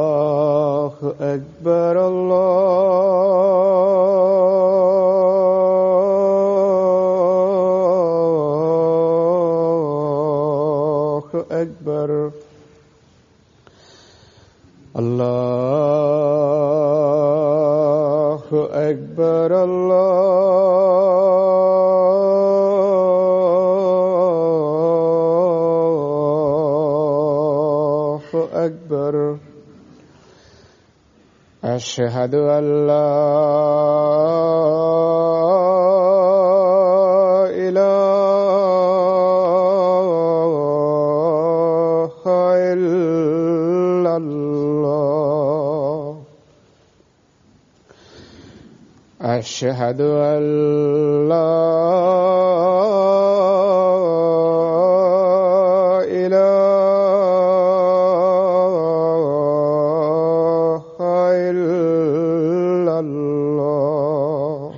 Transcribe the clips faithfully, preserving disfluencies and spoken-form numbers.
الله أكبر الله أكبر الله أكبر الله أكبر أشهد أن لا إله إلا الله أشهد أن لا إله إلا الله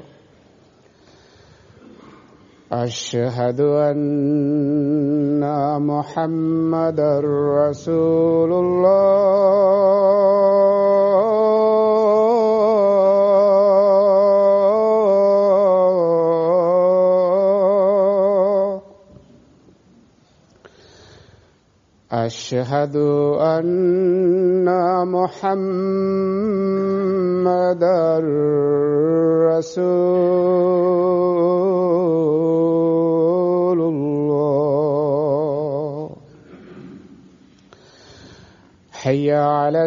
أشهد أن محمدا رسول الله أشهد أن محمدا رسول الله حي على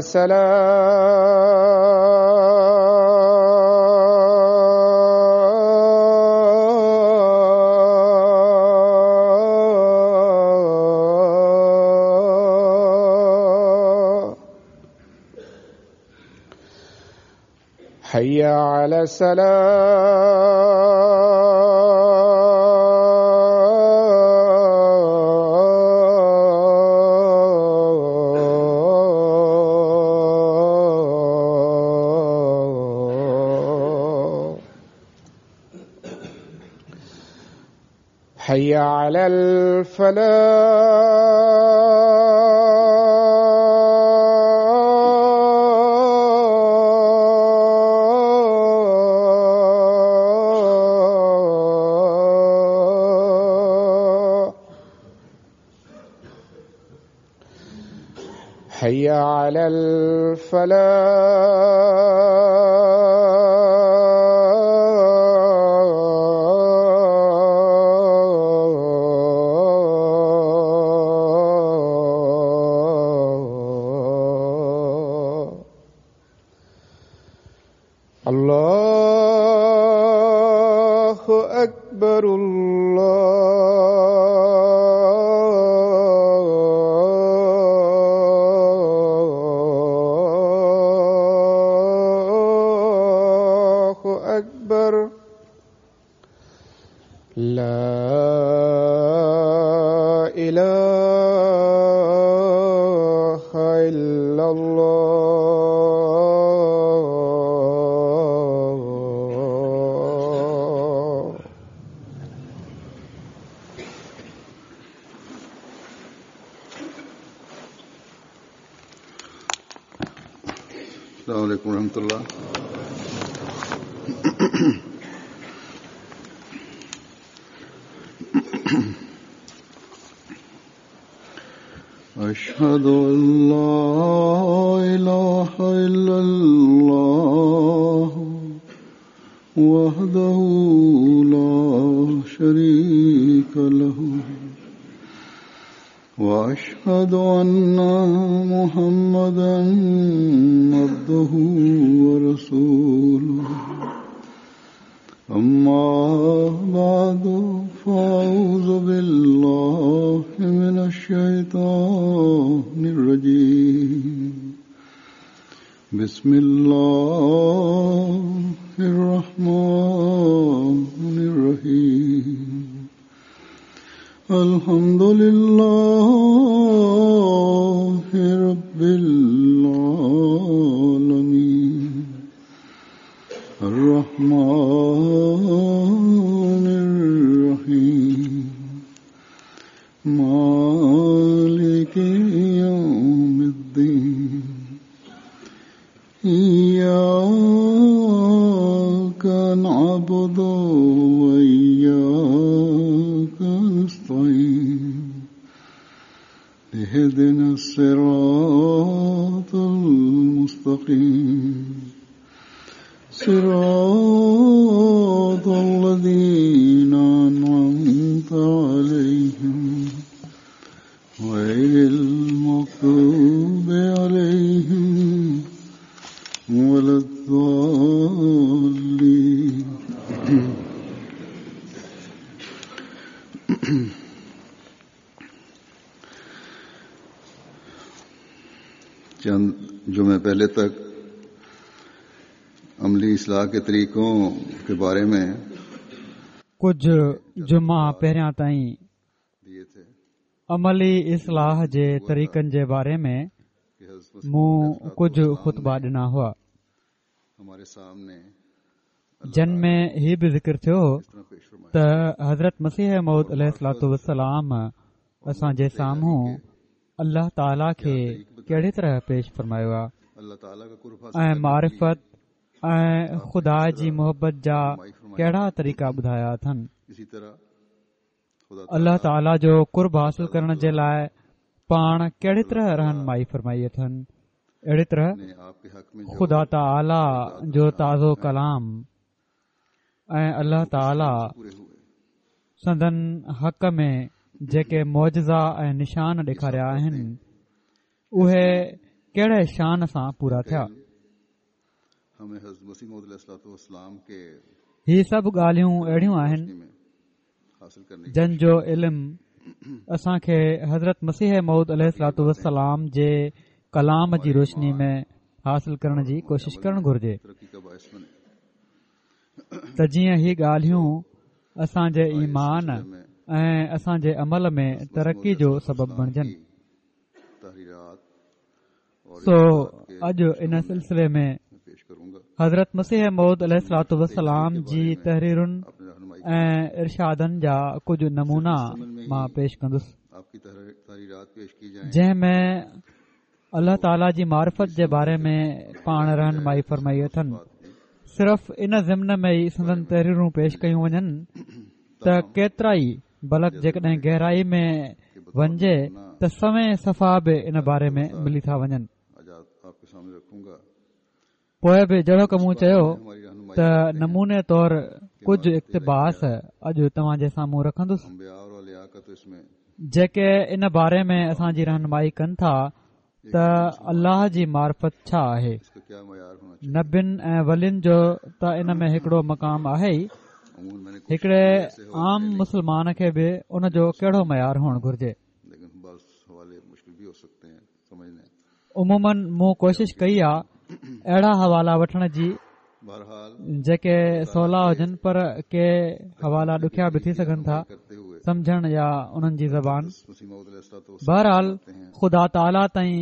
السلام حي على السلام حي على الفلاح حي على الفلاح الله أكبر الله أكبر لا إله إلا الله السلام عليكم ورحمة الله. أشهد أن لا إله إلا الله وحده لا شريك له وأشهد أن محمدا عبده ورسوله. أما بعد فأعوذ بالله من الشيطان الرجيم. بسم الله الرحمن الرحيم. الحمد لله إياك نعبد وإياك نستعين اهدنا الصراط المستقيم صراط الذين أنعمت عليهم غير المغضوب عليهم ولا الضالين. चंद जुमे पहले तक अमली इस्लाह के तरीकों के बारे में कुझु जुमा पहिरियां ताईं अमली इस्लाह जे तरीक़नि जे बारे में मूं कुझु ख़ुतबा ॾिना हुआ, जन में ही बि ज़िक्र थियो त हज़रत मसीह मौद अलैहिस्सलातु वस्सलाम असांजे साम्हूं अल्लाह ताला खे कहिड़ी तरह पेश फरमायो आहे ऐं मारिफ़त ऐं ख़ुदा जी मोहबत जा कहिड़ा तरीक़ा ॿुधाया अथनि। अल्लाह ताला जो कुर्ब हासिल करण जे लाइ पाण कहिड़ी तरह रहनुमाई फरमाई अथनि। अहिड़ी तरह ख़ुदा ताला जो ताज़ो कलाम ऐं अल्लाह ताला संदन हक़ में जेके मौजज़ा ऐं निशान ॾेखारिया आहिनि उहे कहिड़े शान सां पूरा थिया। ही सभु ॻाल्हियूं अहिड़ियूं आहिनि जन जो इल्म असांखे हज़रत मसीह मौद अलैहिस्सलातु वस्सलाम जे कलाम जी रोशनी में हासिल करण जी कोशिश करणु घुर्जे त जीअं ही ॻाल्हियूं असांजे ईमान ऐं असांजे अमल में तरक़ी जो सबबु बणिजनि। सो अॼु इन सिलसिले में हज़रत मसीह मौद अलैहिस्सलातु वस्सलाम जी तहरीरुनि ऐं इरशादनि जा कुझु नमूना मां पेश कंदुसि, जंहिं में अल्लाह ताला जी मारिफ़त जे बारे में पाण रहनुमाई फरमाई अथनि। सिर्फ़ इन ज़िम्न में ई संदन तहरीरूं पेश कयूं वञनि त केतिरा ई, बल्कि जेकॾहिं गहराई में वञिजे त सवें सफ़ा बि इन बारे में मिली था वञनि। पोइ बि जहिड़ोकि मूं चयो त नमूने तौर कुझु इक़्तिबास अॼु तव्हांजे साम्हूं रखंदुसि, जेके इन बारे में असांजी रहनुमाई कनि था त अल्लाह जी मार्फत छा आहे। नबिन ऐं वलियुनि जो त इन में हिकिड़ो मक़ाम आहे ई, हिकिड़े आम मुसलमान खे बि उन जो कहिड़ो मयार हुअणु घुर्जे। उमूमन मूं कोशिश कई आहे अहिड़ा हवाला वठण जी जेके सवला हुजनि, पर के हवाला ॾुखिया बि थी सघनि था सम्झण या उन्हनि जी ज़बान। बहरहाल ख़ुदा ताला ताईं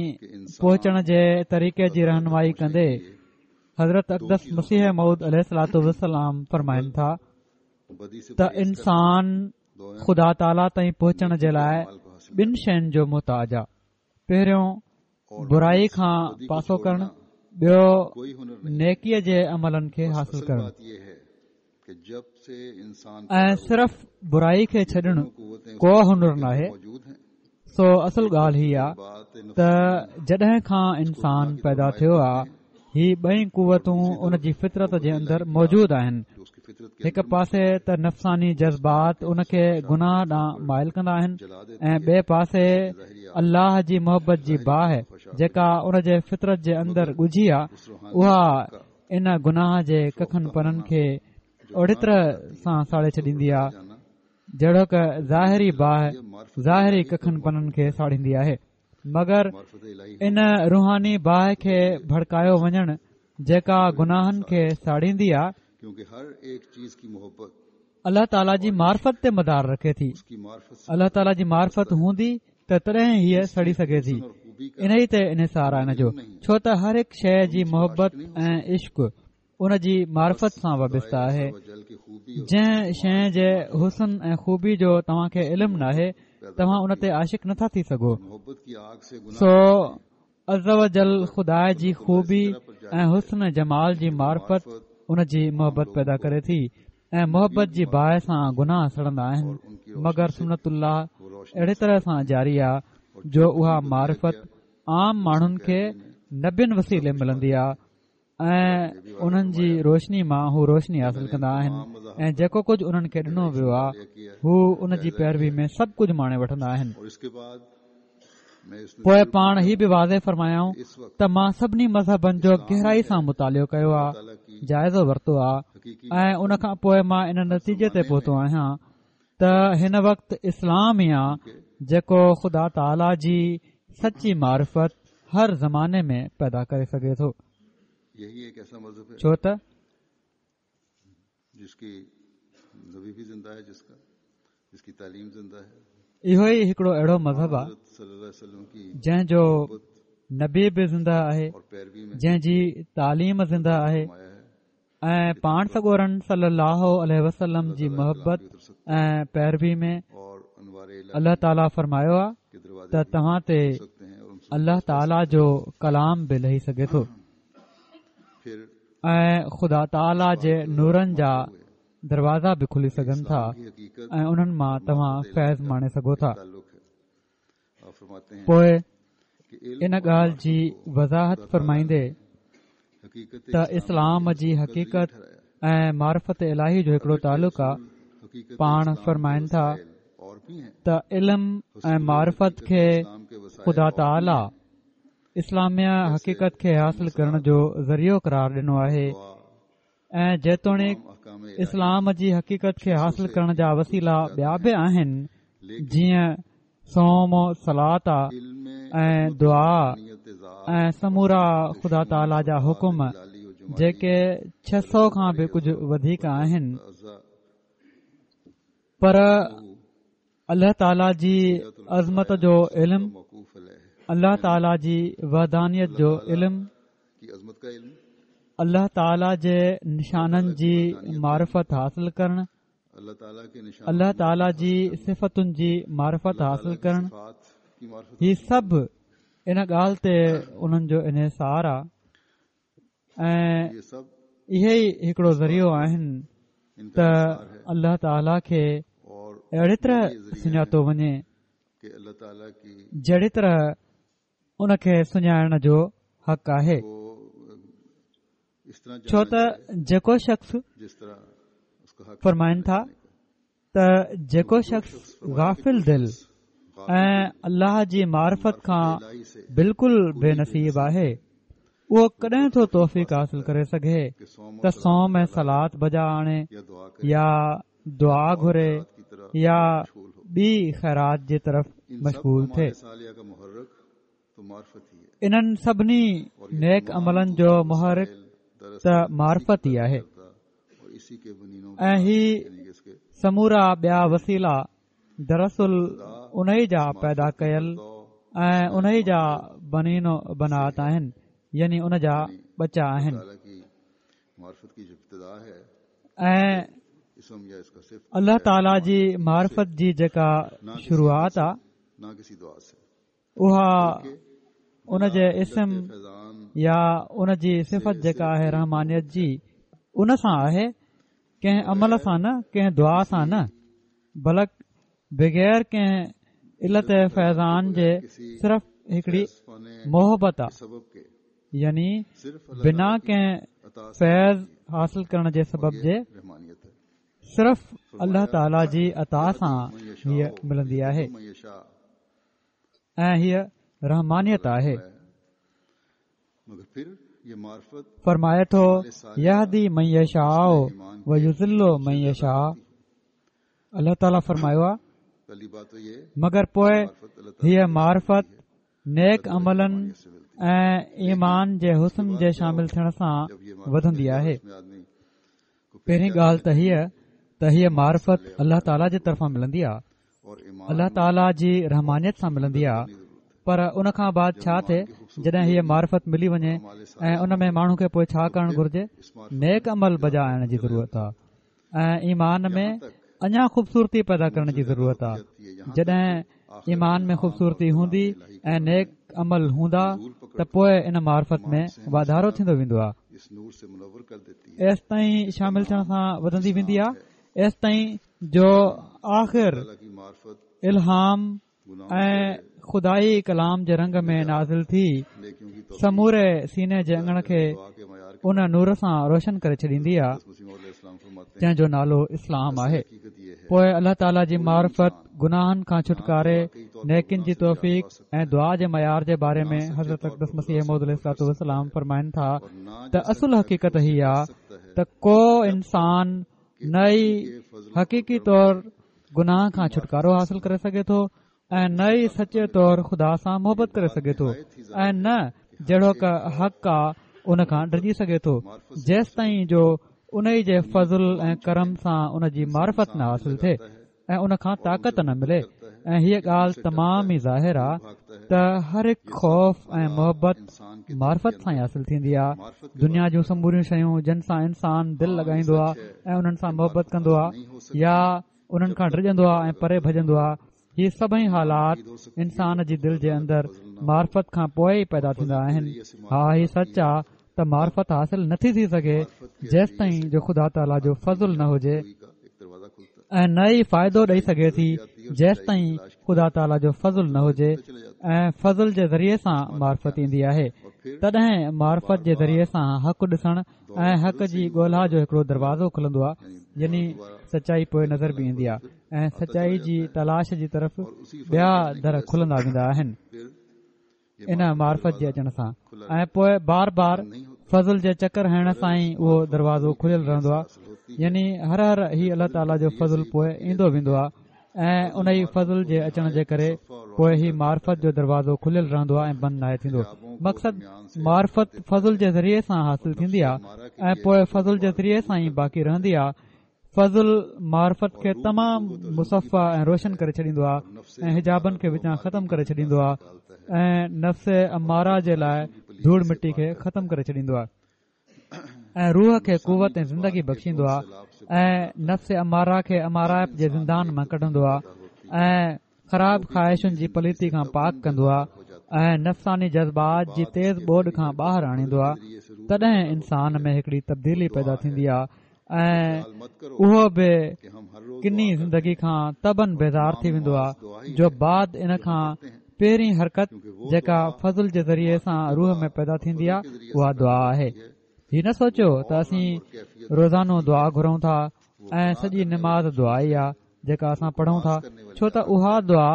पहुचण जे तरीक़े जी रहनुमाई कंदे हज़रत अक़दस मसीह मौद अलैहिस्सलातु वस्सलाम फरमाइनि था त इंसान ख़ुदा ताला ताईं पहुचण जे लाइ ॿिनि शयुनि जो मोहताज आहे। पहिरियों बुराई खां पासो करण, ॿियो नेकीअ जे अमलनि खे हासिल करण। ऐं सिर्फ़ बुराई खे छॾणु को हुनर नाहे। सो असल ॻाल्हि हीअ आहे त जॾहिं खां इंसान पैदा थियो आहे, ही ॿई कुवतूं उन जी फितरत जे अंदरि मौजूदु आहिनि। हिक पासे त नफ़्सानी जज़्बात उन खे गुनाह ॾांहुं माइल कंदा आहिनि ऐं ॿिए पासे अल्लाह जी मोहबत जी बाहि जेका उन जे फितरत जे अंदरि ॻुझी आहे, उहा इन गुनाह जे कखन पननि खे अहिड़ी तरह सां साड़े छॾींदी आहे जहिड़ोक ज़ाहिरी बाहि ज़ाहिरी कखन पननि खे साड़ींदी आहे। मगर इन रूहानी बाहि खे भड़कायो वञणु जेका गुनाहनि खे साड़ींदी आहे, अल्लाह ताला जी मार्फत ते मदार रखे थी। अल्लाह ताला जी मार्फत हूंदी त तॾहिं हीअ सड़ी सघे थी। इन ई ते इन्हिसार आहे हिन जो, छो त हर हिकु शइ जी मोहबत ऐं इश्क उन जी मार्फत सां वाबस्ता आहे। जंहिं शइ जे हुस्न ऐं ख़ूबी जो तव्हांखे इल्मु नाहे, तव्हां उन ते आशिक नथा थी सघो। सो عزوجل خدا جي خوبي ۽ حسن جمال جي معرفت ان جي محبت پيدا ڪري ٿي ۽ محبت جي باهه سان گناهه سڙندا آهن. مگر سنت الله اهڙي طرح سان جاري آهي جو اها معرفت عام ماڻهن کي نبين وسيلي ملندي آهي ۽ انهن جي روشني مان هو روشني حاصل ڪندا آهن ۽ جيڪو ڪجهه انهن کي ڏنو ويو آهي هو ان جي پيروي ۾ سڀ ڪجهه ماڻي وٺندا آهن. پوءِ پاڻ هي به واضح فرمايائون ته مان سڀني مذهبن جو گهرائي سان مطالعو ڪيو آهي، جائزو ورتو آهي ۽ ان کان پوءِ مان ان نتيجي تي پهتو آهيان ته هن وقت اسلام ئي آهي جيڪو خدا تعاليٰ جي سچي معرفت هر زماني ۾ پيدا ڪري سگهي ٿو. ڇو ته اهو ئي هڪڙو اهڙو مذهب آهي جنهن جو نبي به زنده آهي، جنهن جي تعليم زنده آهي ۽ پاڻ سڳورن صلي الله عليه وسلم جي محبت ۽ پيروي ۾ الله تعاليٰ فرمايو آهي ته توهان تي الله تعاليٰ جو ڪلام به لهي سگهي ٿو ۽ خدا تعاليٰ جي نورن جا دروازا به کلي سگهن ٿا ۽ انهن مان توهان فيض ماڻي سگهو ٿا. پوءِ ان ڳالهه جي وضاحت فرمائيندي ته اسلام جي حقيقت ۽ معرفت الاهي جو هڪڙو تعلق آهي، پاڻ فرمائن ٿا ته علم ۽ معرفت کي خدا تعاليٰ اسلاميه حقيقت کي حاصل ڪرڻ جو ذريعو قرار ڏنو آهي ۽ جيتوڻيڪ اسلام جي حقيقت کي حاصل ڪرڻ جا وسيلا ٻيا به آهن، جيئن صوم و صلات ۽ دعا ۽ سمورا خدا تعاليٰ جا حڪم جيڪي ڇهه سؤ کان به ڪجهه وڌيڪ آهن، پر الله تعاليٰ جي عظمت جو علم، الله تعاليٰ جي وحدانيت جو علم، الله تعاليٰ جي نشانن جي معرفت حاصل ڪرڻ، الله تعاليٰ جي صفتن جي معرفت حاصل ڪرڻ، هي سڀ ان ڳالهه تي انهن جو انحصار آهي ۽ اهي ئي هڪڙو ذريعو آهن ته الله تعاليٰ کي اهڙي طرح سڃاتو وڃي جهڙي طرح ان کي سڃاڻڻ جو حق آهي. ڇو ته جيڪو شخص فرمائن ٿا ته جيڪو شخص غافل دل ۽ الله جي معرفت کان بلڪل بي نصيب آهي، اهو ڪڏهن ٿو توفيق حاصل ڪري سگهي ته صوم ۽ صلات بجا آڻي يا دعا گهري يا ٻي خيرات جي طرف مشغول ٿئي. انهن سڀني نيڪ عملن جو محرڪ ته معرفت ئي آهي ۽ هي سمورا ٻيا وسيلا دراصل انهي جا پيدا ڪيل ۽ انهي جا بنين و بنات آهن، يعني ان جا ٻچا آهن. ۽ الله تعاليٰ جي معرفت جي جيڪا شروعات آهي اها ان جي اسم يا ان جي صفت جيڪا آهي رحمانيت جي، ان سان آهي، ڪنهن عمل سان نه، ڪنهن دعا سان نه، بلڪ بغير ڪنهن علت فيضان جي صرف هڪڙي محبت آهي، يعني بنا ڪنهن فيض حاصل ڪرڻ جي سبب جي صرف الله تعاليٰ جي عطا سان هيءَ ملندي آهي ۽ هيءَ رحمانيت آهي. فرمائي ٿو يهدي من يشاء ويضل من يشاء. الله تعاليٰ فرمايو آهي مگر پوءِ هيءَ معرفت نيڪ عملن ۽ ايمان جي حسن جي شامل ٿيڻ سان وڌندي آهي. پهرين ڳالهه ته هيءَ ته هيءَ معرفت الله تعاليٰ جي طرفان ملندي آهي، الله تعاليٰ جي رحمانيت سان ملندي آهي. پر ان کان بعد ڇا ٿئي جڏهن هيءَ معرفت ملي وڃي ۽ ان ۾ ماڻهو کي پوءِ ڇا ڪرڻ گهرجي؟ نيڪ عمل بجا آڻڻ جي ضرورت آهي ۽ ايمان ۾ اڃا خوبصورتي پيدا ڪرڻ جي ضرورت آهي. جڏهن ايمان ۾ خوبصورتي هوندي ۽ نيڪ عمل هوندا ته پوءِ ان معرفت ۾ واڌارو ٿيندو ويندو آهي. ايستائين شامل ٿيڻ سان وڌندي ويندي آهي ايستائين جو آخر الهام ۽ خدائي ڪلام جي رنگ ۾ نازل ٿي سموري سيني جي اڱڻ کي ان نور سان روشن ڪري ڇڏيندي آهي جنهن جو نالو اسلام آهي. پوءِ الله تعاليٰ جي معرفت، گناهن کان ڇوٽڪاري، نيڪين جي توفيق ۽ دعا جي معيار جي باري ۾ حضرت اقدس مسيح موعود عليه الصلوة والسلام فرمائن ٿا ته اصل حقيقت هي آهي ته ڪو انسان نه ئي حقيقي طور گناهه کان ڇوٽڪارو حاصل ڪري سگهي ٿو ۽ نه ئي سچي طور خدا سان محبت ڪري سگهي ٿو ۽ نه جهڙوڪ حق آ ان کان ڊڄي سگهي ٿو جيستائين جو ان جي فضل ۽ ڪرم سان ان جي معرفت نه حاصل ٿئي ۽ ان کان طاقت نه ملي. ۽ هيءَ ڳالهه تمام ئي ظاهر آهي ته هر هڪ خوف ۽ محبت معرفت سان ئي حاصل ٿيندي آهي. دنيا جون سموريون شيون جن سان انسان دل لڳائيندو آهي ۽ انهن سان محبت ڪندو آهي يا انهن کان ڊڄندو آهي ۽ پري ڀڄندو آهي، هي سڀئي حالات انسان جي دل جي اندر معرفت کان پوءِ ئي پيدا ٿيندا آهن. ها، هي سچ آهي ته معرفت حاصل نٿي ٿي سگهي جيستائين جو خدا تعاليٰ جو فضل نه هجي ۽ نه ئي فائدو ڏئي سگهي ٿي جيستائين خدا تعاليٰ جو فضل نه هجي. ۽ فضل جي ذريعي سان معرفت ايندي آهي. تڏهن معرفت جي ذريعي سان حق ڏسڻ ۽ حق جي ڳولها جو هڪڙو دروازو کلندو آهي، يعني سچائي پوءِ نظر به ايندي آهي ۽ سچائي جي تلاش جي طرف ٻيا در کلندا ويندا آهن ان معرفت جي اچڻ سان. ۽ پوءِ بار بار فضل جي چڪر هڻڻ سان ئي اهو دروازو کليل رهندو آهي، يعني هر هر هي الله تعاليٰ جو فضل پوءِ ايندو ويندو آهي ۽ ان ئي فضل جي اچڻ جي ڪري پوءِ هي معرفت جو دروازو کليل رهندو آهي ۽ بند ناهي ٿيندو. مقصد معرفت فضل جي ذريعي سان حاصل ٿيندي آهي ۽ پوءِ فضل جي ذريعي سان ئي باقي رهندي آهي. فضل معرفت کي تمام مصفا ۽ روشن ڪري ڇڏيندو آهي ۽ حجابن کي وچان ختم ڪري ڇڏيندو آهي ۽ نفس اماره جي لاءِ ڌوڙ مٽي کي ختم ڪري ڇڏيندو آهي ۽ روح کي قوت ۽ زندگي بخشيندو آهي ۽ نفس اماره کي امارائپ جي زندان مان ڪڍندو آهي ۽ خراب خواهشن جي پليتي کان پاڪ ڪندو آهي ۽ نفساني جذبات جي تيز ٻوڏ کان ٻاهر آڻيندو آهي. تڏهن انسان ۾ هڪڙي تبديلي پيدا ٿيندي آهي ۽ اهو به ڪني زندگي کان تبن بيزار ٿي ويندو آهي جو بعد ان کان پهرين حرڪت جيڪا فضل جي ذريعي سان روح ۾ پيدا ٿيندي آهي اها دعا آهي. هي نه سوچيو ته اسين روزانو دعا گهرون ٿا ۽ سڄي نماز دعا ئي آهي جيڪا اسان پڙهون ٿا، ڇو ته اها دعا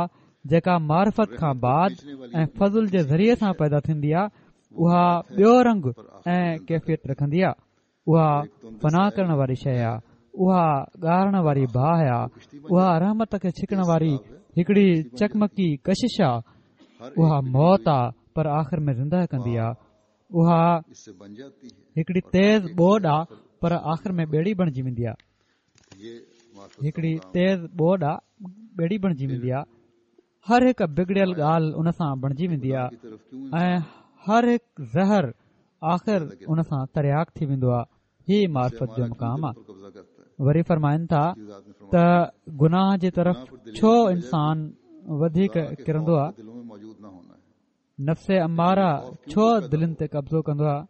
جيڪا معرفت کان بعد ۽ فضل جي ذريعي سان پيدا ٿيندي آهي اها ٻيو رنگ ۽ ڪيفيت رکندي آهي. اها فنا ڪرڻ واري شيءِ آهي، اها ڳارڻ واري باهه آهي، اها رحمت کي ڇڪڻ واري هڪڙي چقمقي ڪشش آهي، اها موت آهي پر آخر ۾ زنده ڪندي آهي، اها هڪڙي تيز ٻوڏ آهي پر آخر ۾ ٻيڙي بڻجي ويندي آهي، هڪڙي تيز ٻوڏ آهي ٻيڙي بڻجي ويندي آهي. هر هڪ بگڙيل ڳالهه ان سان بڻجي ويندي آهي ۽ هر هڪ زهر آخر ان سان ترياق ٿي ويندو آهي. هي معرفت جو مقام آهي. وري فرمائن ٿا ته گناهه جي طرف ڇو انسان وڌيڪ ڪرندو آهي، نفس اماره ڇو دلن تي قبضو ڪندو آهي؟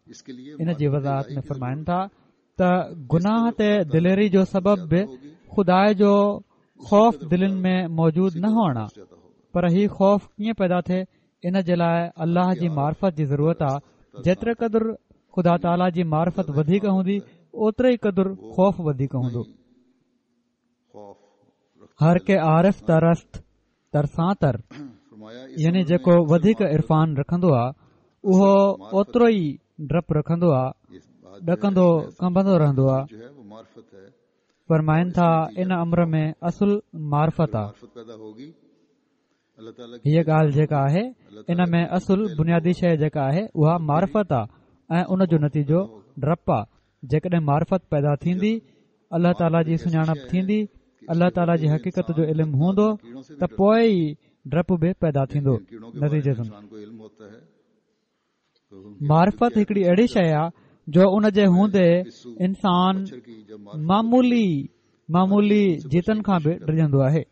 ان جي وضاحت ۾ فرمائن ٿا ته گناهه تي دليري جو سبب به خدا جو خوف دلن ۾ موجود نه هئڻ آهي، پر هي خوف ڪيئن پيدا ٿئي ان جي لاءِ الله جي معرفت جي ضرورت آهي. جيتري قدر خدا تعاليٰ جي معرفت وڌيڪ هوندي اوتري ئي قدر خوف وڌيڪ هوندو. هر ڪي عارف ترست ترسان تر، يعني جيڪو وڌيڪ عرفان رکندو آهي اهو اوترو ئي ڊپ رکندو آهي، ڏڪندو ڪنبندو رهندو آهي. فرمائن ٿا ان امر ۾ اصل معرفت آهي. هيءَ ڳالهه جيڪا آهي ان ۾ اصل بنيادي شيءِ جيڪا آهي اها معرفت آهي ۽ ان جو نتيجو ڊپ آهي. جيڪڏهن معرفت پيدا ٿيندي، الله تعاليٰ جي سڃاڻپ ٿيندي، الله تعاليٰ جي حقيقت جو علم هوندو ته پوءِ ئي ڊپ به پيدا ٿيندو. نتيجي معرفت هڪڙي اهڙي شيءِ آهي جو ان جي هوندي انسان معمولي معمولي جيتن کان به ڊڄندو آهي،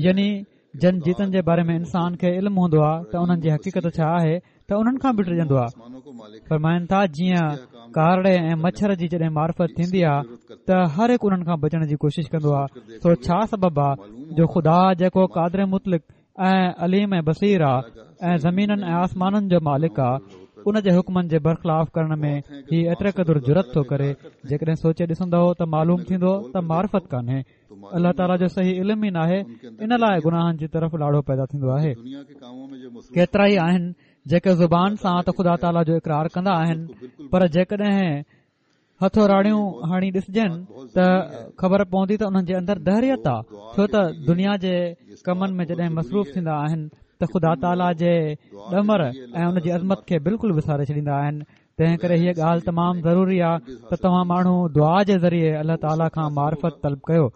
يعني جن جيتن جي باري ۾ انسان کي علم هوندو آهي ته انهن جي حقيقت ڇا آهي ته انهن کان به ڊڄندو آهي. فرمائن ٿا جيئن ڪارڙي ۽ مڇر جي جڏهن معرفت ٿيندي آهي ته هر هڪ انهن کان بچڻ جي ڪوشش ڪندو آهي. سو ڇا سبب آهي جو خدا جيڪو قادر مطلق ۽ عليم ۽ بصير آهي ۽ زمينن ۽ آسمانن جو مالڪ آهي، ان جي حڪمن جي برخلاف ڪرڻ ۾ هي ايتري قدر جرئت ٿو ڪري؟ جيڪڏهن سوچي ڏسندؤ ته معلوم ٿيندو ته معرفت ڪانهي، الله تعاليٰ جو صحيح علم ئي ناهي، ان لاء گناهن جي طرف لاڙو پيدا ٿيندو آهي. ڪيترا ئي آهن جيڪي زبان سان ته خدا تعاليٰ جو اقرار ڪندا آهن، پر جيڪڏهن هٿوراڙيون هڻي ڏسجن ته خبر پوندي ته انهن جي اندر دهريت آهي، ڇو ته دنيا جي ڪمن ۾ جڏهن مصروف ٿيندا آهن ته خدا تعاليٰ جي ڏمر ۽ ان جي عظمت کي بلڪل وساري ڇڏيندا آهن. تنهن ڪري هيء ڳالهه تمام ضروري آهي ته توهان ماڻهو دعا جي ذريعي الله تعاليٰ کان معرفت طلب ڪيو.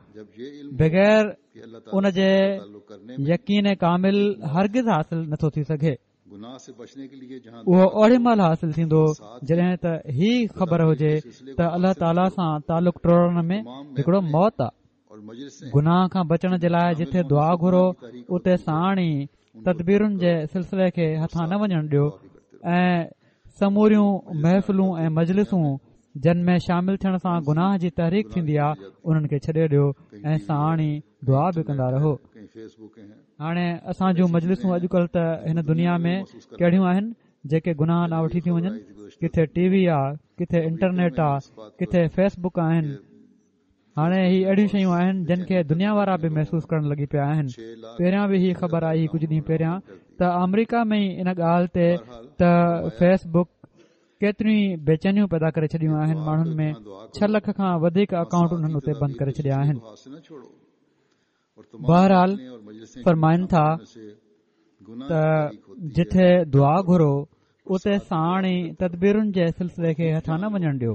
بغير ان جي يقين ڪامل هرگز حاصل نٿو ٿي سگهي. اهو اوڏي مهل حاصل ٿيندو جڏهن ته هي خبر هجي ته الله تعاليٰ سان تعلق ٽوڙڻ ۾ هڪڙو موت آهي. گناهه کان بچڻ جي لاء جٿي دعا گهرو اتي ساڻ ئي تدبيرن جي سلسلي کي هٿان نه وڃڻ ڏيو ۽ سموريون محفلون ۽ مجلسون جن ۾ شامل ٿيڻ سان گناهه جي تحريڪ ٿيندي آهي انهن کي ڇڏي ڏيو ۽ ساڻ ئي دعا به ڪندا رهو. هاڻي اسان جون مجلسون اڄڪلهه ته هن دنيا ۾ ڪهڙيون آهن جيڪي گناهه ڏانهن وٺي ٿيون وڃن. ڪٿي ٽي وي آهي، ڪٿي انٽرنيٽ آهي، ڪٿي فيس بڪ آهن. هاڻي هي اهڙيون شيون آهن جن کي دنيا وارا به محسوس ڪرڻ لڳي پيا آهن. پهريان به هي خبر آئي ڪجهه ڏينهن پهريان ته آمريڪا ۾ ئي ان ڳالهه تي ته فيس بڪ ڪيتريون ئي بيچينيون پيدا ڪري ڇڏيون آهن ماڻهن ۾، ڇهه لک کان وڌيڪ اڪائونٽ انهن اتي بند ڪري ڇڏيا آهن. بهرحال فرمائن ٿا ته جٿي دعا گهرو اتي ساڻ ئي تدبيرن جي سلسلي کي هٿان نه وڃڻ ڏيو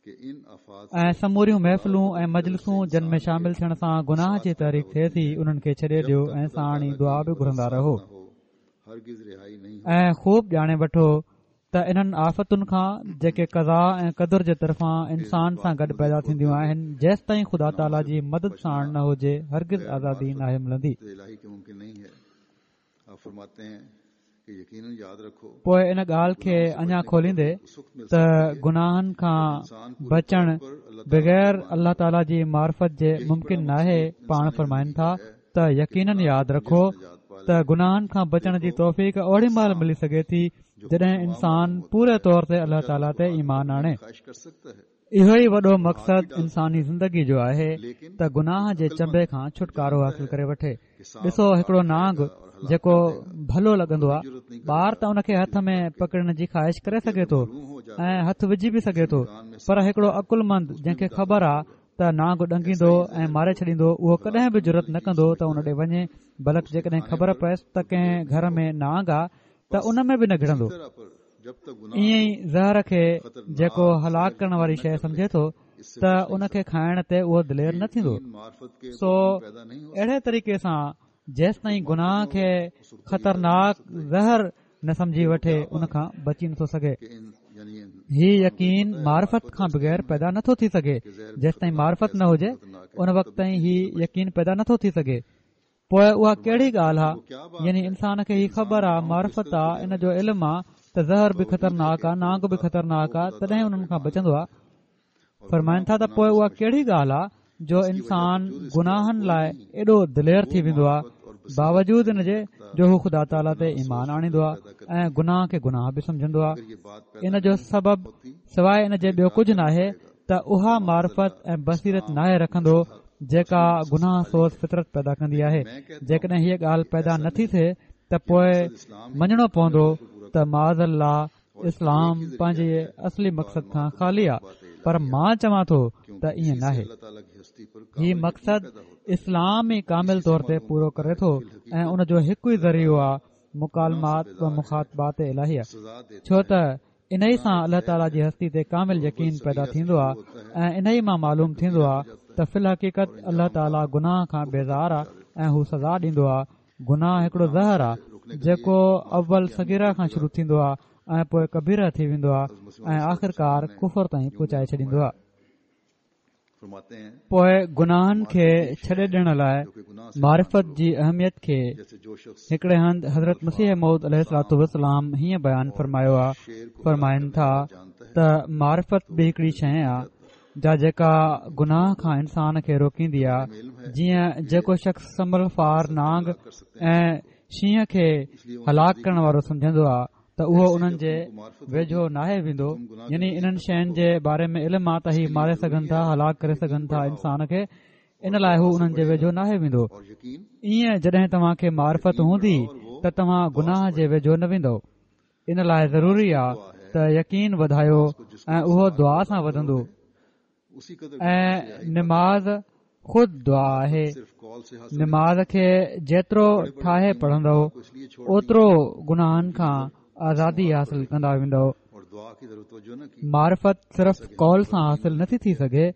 ۽ سموريون محفلون ۽ مجلسون جن ۾ شامل ٿيڻ سان گناهه جي تحريڪ ٿئي ٿي انهن کي ڇڏي ڏيو ۽ ساڻ ئي دعا به گهرندا رهو. ۽ خوب ڄاڻي وٺو ته انهن آفتن کان جيڪي قضا ۽ قدر جي طرفان انسان سان گڏ پيدا ٿينديون آهن، جيستائين خدا تعاليٰ جي مدد ساڻ نه هجي هرگز آزادي ناهي ملندي. پوء ان ڳالهه کي اڃا کوليندي ته گناهن کان بچڻ بغير الله تعاليٰ جي معرفت جي ممڪن ناهي، پاڻ فرمائن ٿا ته يقينن ياد رکو ته گناهن کان بچڻ جي توفيق اوڏي مهل ملي سگهي ٿي جڏهن انسان پوري طور تي الله تعاليٰ تي ايمان آڻي. اهو ئي وڏو مقصد انساني زندگي جو آهي ته گناهه جي چنبي کان ڇوٽڪارو حاصل ڪري وٺي. ڏسو هڪڙو نانگ جيڪو ڀلو لڳندو آهي، ٻار ته ان کي هٿ ۾ پڪڙڻ جي خواهش ڪري سگهي ٿو ۽ هٿ وجهي به سگهي ٿو، پر هڪڙو عقلمند جنهن کي خبر آهي ته نانگ ڏنگيندو ۽ ماري ڇڏيندو، اهو ڪڏهن به جرئت نه ڪندو ته ان ڏي وڃي، بلڪ جيڪڏهن خبر پئيس ته ڪنهن گهر ۾ نانگ آهي ته ان ۾ به نه گهڙندو. ائين ئي زهر کي جيڪو هلاڪ ڪرڻ واري شيء سمجهي ٿو ته ان کي کائڻ تي اهو دلير نه ٿيندو. سو اهڙي طريقي سان جيستائين گناهه کي خطرناڪ زهر نه سمجهي وٺي ان کان بچي نٿو سگهي. هي يقين معرفت کان بغير پيدا نٿو ٿي سگهي. جيستائين معرفت نه هجي ان وقت تائين هي يقين پيدا نٿو ٿي سگهي. پوءِ اها ڪهڙي ڳالهه آهي؟ يعني انسان کي هي خبر آهي، معرفت آهي، ان جو علم آهي ته زهر به خطرناڪ آهي، نانگ به خطرناڪ آهي، تڏهن انهن کان بچندو آهي. فرمائن ٿا ته پوءِ اها ڪهڙي ڳالهه آهي جو انسان گناهن لاءِ ايڏو دلير ٿي ويندو آهي، باوجود ان جي جو هو خدا تعاليٰ تي ايمان آڻيندو آهي ۽ گناهه کي گناهه به سمجهندو آهي. ان جو سبب سواءِ ان جي ٻيو ڪجهه ناهي ته اها معرفت ۽ بصيرت ناهي رکندو جيڪا گناهه سوز فطرت پيدا ڪندي آهي. جيڪڏهن هيءَ ڳالهه پيدا نٿي ٿئي ته پوءِ مڃڻو پوندو ته معاذ الله اسلام پنهنجي اصلي مقصد کان خالي آهي، پر مان چوان ٿو ته ائين ناهي. هي مقصد اسلام ئي ڪامل طور تي پورو ڪري ٿو ۽ ان جو هڪ ئي ذريعو آهي مڪالمات و مخاطبات الاهيه، ڇو ته انهي سان الله تعاليٰ جي هستي تي ڪامل يقين پيدا ٿيندو آهي ۽ انهي مان معلوم ٿيندو آهي ته في الحقيقت الله تعاليٰ گناهه کان بيزار آهي ۽ هو سزا ڏيندو آهي. گناهه هڪڙو زهر آهي جيڪو اول صغيره کان شروع ٿيندو آهي ۽ پوءِ ڪبيره ٿي ويندو آهي ۽ آخرڪار ڪفر تائين پهچائي ڇڏيندو آهي. پوءِ گناهن کي ڇڏي ڏيڻ لاءِ معرفت جي اهميت کي هڪڙي هنڌ حضرت مسيح موعود عليه الصلوة والسلام هيئن بيان فرمايو آهي. فرمائن ٿا ته معرفت به هڪڙي شيءِ آهي جا جيڪا گناهه کان انسان کي روڪيندي آهي. جيئن جيڪو شخص سمل فار نانگ ۽ شينهن کي هلاڪ ڪرڻ وارو سمجهندو آهي ته اهو انهن جي ويجهو ناهي ويندو، يعني انهن شين جي باري ۾ علم آ ته هي ماري سگهن ٿا، هلاڪ ڪري سگهن ٿا انسان کي، ان لاءِ هو انهن جي ويجهو ناهي ويندو. ائين جڏهن توهان کي معرفت هوندي ته توهان گناهه جي ويجهو نه ويندو. ان لاءِ ضروري آ ته يقين وڌايو ۽ اهو دعا سان وڌندو، ۽ نماز خود دعا آهي. نماز کي جيترو ٺاهي پڙهندو اوترو گناهن کان آزادي حاصل ڪندا ويندو. معرفت صرف قول سان حاصل نٿي ٿي سگهي.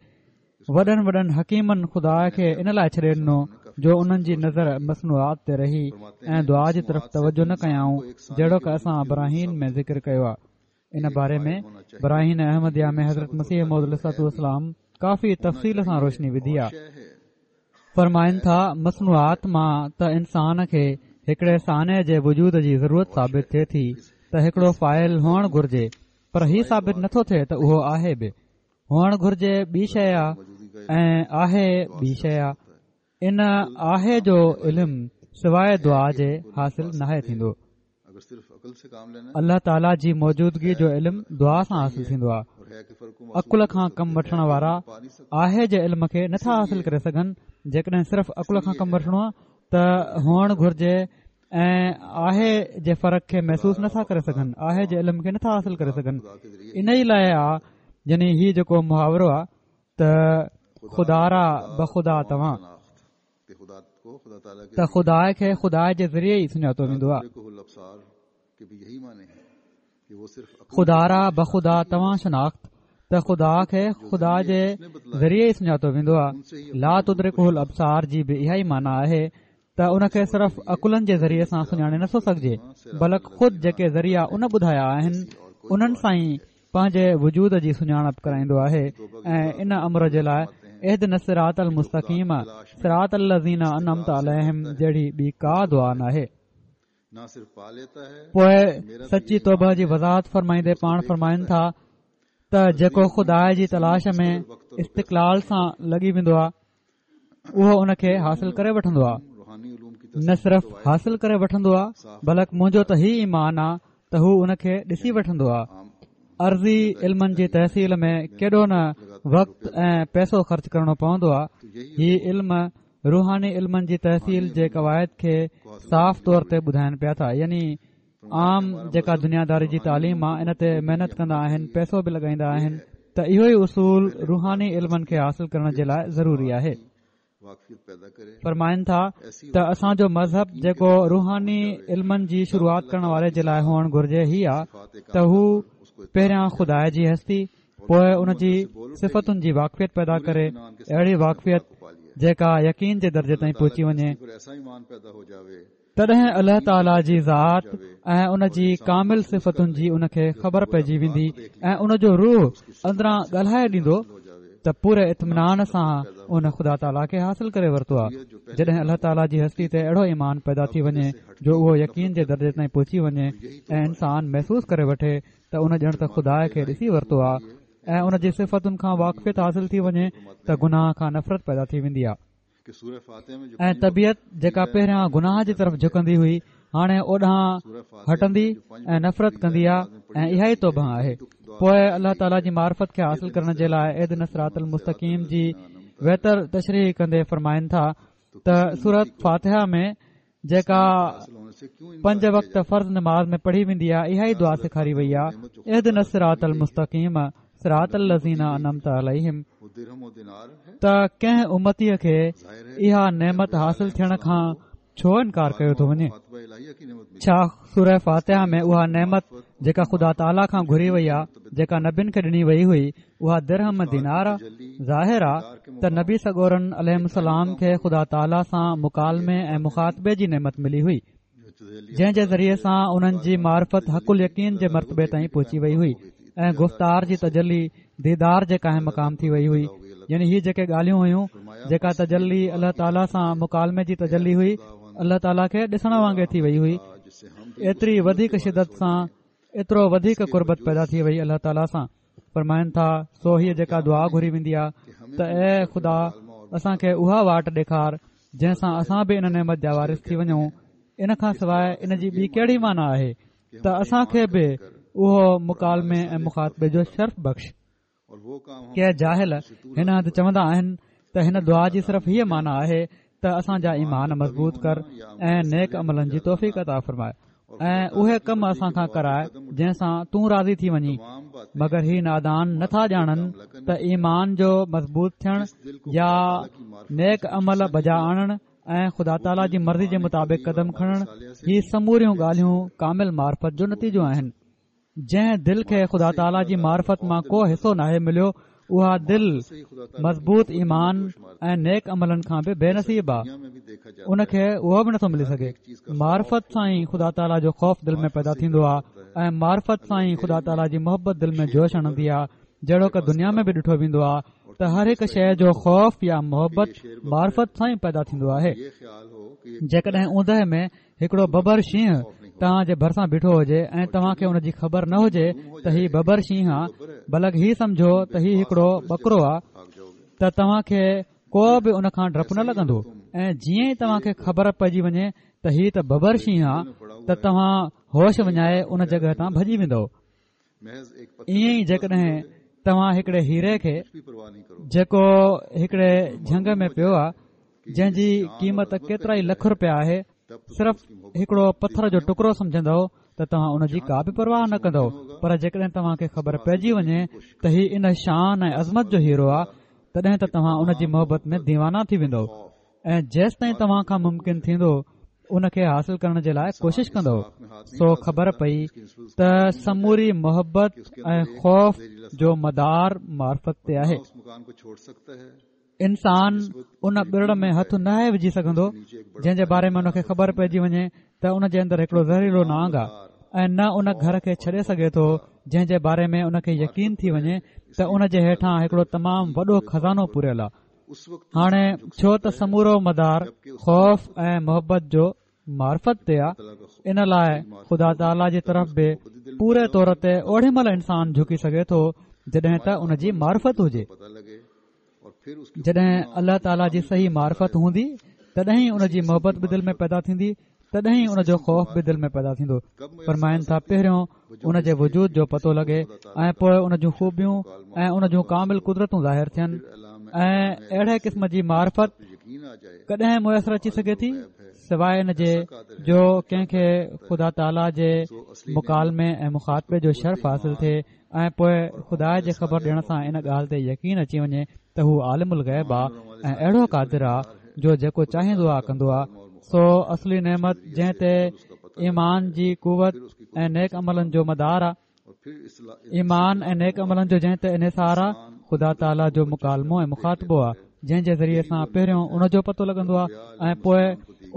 وڏن وڏن حڪيمن خدا کي ان لاءِ ڇڏي ڏنو جو انهن جي نظر مصنوعات تي رهي ۽ دعا جي طرف توجه نه ڪيائون، جهڙوڪ اسان براهين ۾ ذڪر ڪيو آهي. ان باري ۾ براهين احمديه ۾ حضرت مسيح موعود عليه الصلوة والسلام ڪافي تفصيل سان روشني وڌي آهي. فرمائن ٿا مصنوعات مان ته انسان کي هڪڙي صانع جي وجود جي ضرورت ثابت ٿئي ٿي ته هڪڙو فاعل هئڻ گهرجي، پر هي ثابت نٿو ٿئي ته اهو آهي به. هئڻ گهرجي ٻي شيءِ آهي ۽ آهي ٻي شيءِ آهي. ان آهي جو علم سواءِ دعا جي حاصل ناهي ٿيندو. الله تعاليٰ جي موجودگي جو علم دعا سان حاصل ٿيندو آهي. عقل کان ڪم وٺڻ وارا آهي جي علم کي نٿا حاصل ڪري سگهن. جيڪڏهن صرف عقل کان ڪم وٺڻو آهي ته هئڻ گهرجي ۽ آهي جي فرق کي محسوس نٿا ڪري سگهن، آهي جي علم کي نٿا حاصل ڪري سگهن. ان ئي لاءِ آهي يعني هي جيڪو محاورو آهي ته خدا را بخدا توهان، ته خدا کي خدا جي ذريعي ئي سڃاتو ويندو آهي. خدا را بخدا توهان شناخت، ته خدا کي خدا جي ذريعي ئي سڃاتو ويندو آهي. لا تدرڪه الابصار جي به اها ئي معنيٰ آهي ته ان کي صرف عقلن جي ذريعي سان سڃاڻي نٿو سگهجي، بلڪ خود جيڪي ذريعا ان ٻڌايا آهن انهن سان ئي پنهنجي وجود جي سڃاڻپ ڪرائيندو آهي. ۽ ان امر جي لاءِ اهدنا الصراط المستقيم صراط الذين انعمت عليهم جهڙي ٻي ڪا دعا ناهي. پوءِ سچي توبه جي وضاحت فرمائيندي پاڻ فرمائن ٿا ته جيڪو خدا جي تلاش ۾ استقلال سان لڳي ويندو آهي اهو ان کي حاصل ڪري وٺندو آهي. نه صرف حاصل ڪري وٺندو آهي بلڪ منهنجو ته هي ايمان آهي ته هو ان کي ڏسي وٺندو آهي. عرضي علمن جي تحصيل ۾ ڪيڏو نه وقت ۽ پئسو خرچ ڪرڻو پوندو آهي. هي علم روحاني علمن جي تحصيل جي قواعد کي صاف طور تي ٻڌائن پيا ٿا. يعني عام جيڪا دنياداري جي تعليم آهي ان تي محنت ڪندا آهن، پئسو به لڳائيندا آهن، ته اهو ئي اصول روحاني علمن کي حاصل ڪرڻ جي لاءِ ضروري آهي. فرمائن ٿا ته اسان جو مذهب جيڪو روحاني علمن جي شروعات ڪرڻ واري جي لاءِ هئڻ گهرجي هي آهي ته هو پهريان خدا جي هستي پوءِ ان جي صفتن جي واقفيت پيدا ڪري، اهڙي واقفيت جيڪا يقين جي درجي تائين پهچي وڃي. تڏهن الله تعاليٰ جي ذات ۽ ان جي ڪامل صفتن جي ان کي خبر پئجي ويندي ۽ ان جو روح اندران ڳالهائي ڏيندو ته پوري اطمينان سان ان خدا تعاليٰ کي حاصل ڪري ورتو آهي. جڏهن الله تعاليٰ جي هستي تي اهڙو ايمان پيدا ٿي وڃي جو اهو يقين جي درجي تائين پهچي وڃي ۽ انسان محسوس ڪري وٺي ته ان ڄڻ ته خدا کي ڏسي ورتو آهي ۽ ان جي صفتن کان واقفيت حاصل ٿي وڃي ته گناهه کان نفرت پيدا ٿي ويندي آهي ۽ طبيعت جيڪا پهريان گناهه جي طرف جهڪندي هئي هاڻي اوڏانهن هٽندي ۽ نفرت ڪندي آهي ۽ اها ئي توبه آهي. پوءِ الله تعاليٰ جي معرفت کي حاصل ڪرڻ جي لاءِ اهدنا الصراط المستقيم جي ويتر تشريح ڪندي فرمائن ٿا ته سورت فاتحه ۾ جيڪا پنج وقت فرض نماز ۾ پڙهي ويندي آهي اها ئي دعا سيکاري وئي آهي، اهدنا الصراط المستقيم صراط الذين انعمت عليهم. ته ڪنهن امتيءَ کي اها نعمت حاصل ٿيڻ کان ڇو انڪار ڪيو ٿو وڃي؟ ڇا سوره فاتحه ۾ اها نعمت جيڪا خدا تعاليٰ کان گهري وئي آهي، جيڪا نبين کي ڏني وئي هئي، اها درهم دينار آهي؟ ظاهر آهي ته نبي سڳورن عليهم السلام کي خدا تعاليٰ سان مڪالمي ۽ مخاطبي جي نعمت ملي هئي، جنهن جي ذريعي سان انهن جي معرفت حق اليقين جي مرتبي تائين پهچي وئي هئي ۽ گفتار جي تجلي ديدار جي قائم مقام ٿي وئي هئي. يعني هي جيڪي ڳالهيون هيون، جيڪا تجلي الله تعاليٰ سان مڪالمي جي تجلي هئي، الله تعاليٰ کي ڏسڻ وانگي ٿي وئي هئي. ايتري وڌيڪ شدت سان، ايترو وڌيڪ قربت پيدا ٿي وئي الله تعاليٰ سان. فرمائن ٿا، سو هيء جيڪا دعا گهري ويندي آهي ته اي خدا اسان کي اها واٽ ڏيکار جنهن سان اسان به ان نعمت جا وارث ٿي وڃون، ان کان سواءِ ان جي ٻي ڪهڙي معنيٰ آهي ته اسان کي به اهو مڪالمي ۽ مخاطبي جو شرف بخش. ڪي جاهل هن هنڌ چوندا آهن ته هن دعا جي صرف هيءَ معنيٰ آهي ته اسان جا ايمان مضبوط ڪر ۽ نيڪ عملن جي توفيق عطا فرمائي ۽ اهي ڪم اسان کان ڪرائي جنهن سان تون راضي ٿي وڃين. مگر هي نادان نٿا ڄاڻن ته ايمان جو مضبوط ٿيڻ يا نيڪ عمل بجا آڻڻ ۽ خدا تعاليٰ جي مرضي جي مطابق قدم کڻڻ، هي سموريون ڳالهيون ڪامل معرفت جو نتيجو آهن. جنهن دل کي خدا تعاليٰ جي معرفت مان ڪو حصو ناهي مليو، اها دل مضبوط ايمان ۽ نيڪ عملن کان به بي نصيب آهي، ان کي اهو به نٿو ملي سگهي. معرفت سان ئي خدا تعاليٰ جو خوف دل ۾ پيدا ٿيندو آهي ۽ معرفت سان ئي خدا تعاليٰ جي محبت دل ۾ جوش هڻندي آهي. جهڙوڪ دنيا ۾ به ڏٺو ويندو آهي ته هر هڪ شيءِ جو خوف يا محبت معرفت سان ئي پيدا ٿيندو آهي. جيڪڏهن اوندهه ۾ هڪڙو ببر شينهن توهان جي ڀرسان بيٺو هجي ۽ توهان کي ان جي خبر نه هجي ته هي ببر شينهن آهي، بلڪ هي سمجهو ته هي هڪڙو ٻڪرو آهي، ته توهان کي ڪو به ان کان ڊپ نه لڳندو. ۽ جيئن ئي توهان کي خبر پئجي وڃي ته هي ته ببر شينهن آهي، ته توهان هوش وڃائي ان جڳهه تان ڀڄي ويندؤ. ائين ئي جيڪڏهن توهان هڪڙي هيري کي، جيڪو هڪڙي جهنگ ۾ پيو آهي، جنهن جي قيمت ڪيترا ئي لک رپيا آهي، صرف هڪڙو پٿر جو ٽڪرو سمجهندؤ ته توهان ان جي ڪا به پرواهه نه ڪندؤ. پر جيڪڏهن توهان کي خبر پئجي وڃي ته هي ان شان ۽ عظمت جو هيرو آهي، تڏهن ته توهان ان جي محبت ۾ ديوانا ٿي ويندؤ ۽ جيستائين توهان کان ممڪن ٿيندو ان کي حاصل ڪرڻ جي لاءِ ڪوشش ڪندؤ. سو خبر پئي ته سموري محبت ۽ خوف جو مدار معرفت تي آهي. انسان ان ٻرڙ ۾ هٿ ناهي وجهي سگهندو جنهن جي باري ۾ ان کي خبر پئجي وڃي ته ان جي اندر هڪڙو زهريلو نانگ آهي، ۽ نه ان گهر کي ڇڏي سگهي ٿو جنهن جي باري ۾ ان کي يقين ٿي وڃي ته ان جي هيٺان هڪڙو تمام وڏو خزانو پوريل آهي. هاڻي ڇو ته سمورو مدار خوف ۽ محبت جو معرفت تي آهي، ان لاءِ خدا تعاليٰ جي طرف به پوري طور تي اوڏي مهل انسان جهڪي سگهي ٿو جڏهن ته ان جي معرفت هجي. جڏهن الله تعاليٰ جي صحيح معرفت هوندي تڏهن ئي ان جي محبت به دل ۾ پيدا ٿيندي، تڏهن ئي ان جو خوف به دل ۾ پيدا ٿيندو. فرمائن ٿا، پهريون ان جي وجود جو پتو لڳي ۽ پوءِ ان جون خوبيون ۽ ان جون ڪامل قدرتون ظاهر ٿين، ۽ اهڙي قسم جي معرفت ڪڏهن ميسر اچي سگهي ٿي سواءِ ان جي جو ڪنهن کي خدا تعاليٰ جي مڪالمي ۽ مخاطبي جو شرف حاصل ٿئي ۽ پوءِ خدا جي خبر ڏيڻ سان ان ڳالهه تي يقين اچي وڃي ته هو عالم الغيب آهي ۽ اهڙو قادر آهي جو جيڪو چاهيندو آهي ڪندو آهي. سو اصلي نعمت جنهن تي ايمان جي قوت ۽ نيڪ عملن جو مدار آهي، ايمان ۽ نيڪ عملن جو جنهن تي انحصار آهي، خدا تعاليٰ جو مڪالمو ۽ مخاطبو آهي، جنهن جي ذريعي سان پهريون ان جو پتو لڳندو آهي ۽ پوءِ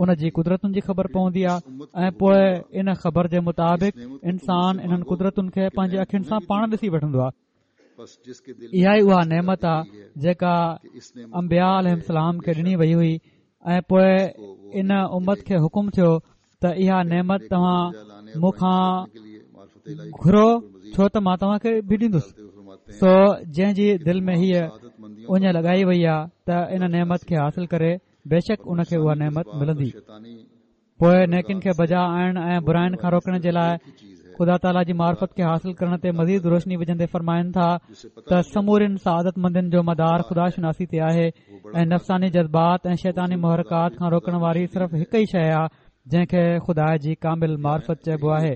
ان جي قدرتن جي خبر پوندي آهي، ۽ پوءِ ان خبر جي مطابق انسان انهن قدرتن کي پنهنجي اکين سان پاڻ ڏسي وٺندو آهي. اها ئي اها نعمت آهي جيڪا انبياء عليهم السلام کي ڏني وئي هئي، ۽ پوءِ ان امت کي حڪم ٿيو ته اها نعمت توهان مون کان گهرو، ڇو ته مان توهان کي به ڏيندس. سو جنهن جي دل ۾ هيءَ اڃ لڳائي وئي آهي ته ان نعمت کي حاصل ڪري، بيشڪ ان کي اها نعمت ملندي. پوءِ نيڪين کي بجا آڻڻ ۽ براين کان روڪڻ جي لاءِ خدا تعاليٰ جي معرفت کي حاصل ڪرڻ تي مزيد روشني وجهندي فرمائن ٿا ته سمورين سعادت مندين جو مدار خدا شناسي تي آهي ۽ نفساني جذبات ۽ شيطاني محرڪات کان روڪڻ واري صرف هڪ ئي شيءِ آهي جنهن کي خدا جي ڪامل معرفت چئبو آهي،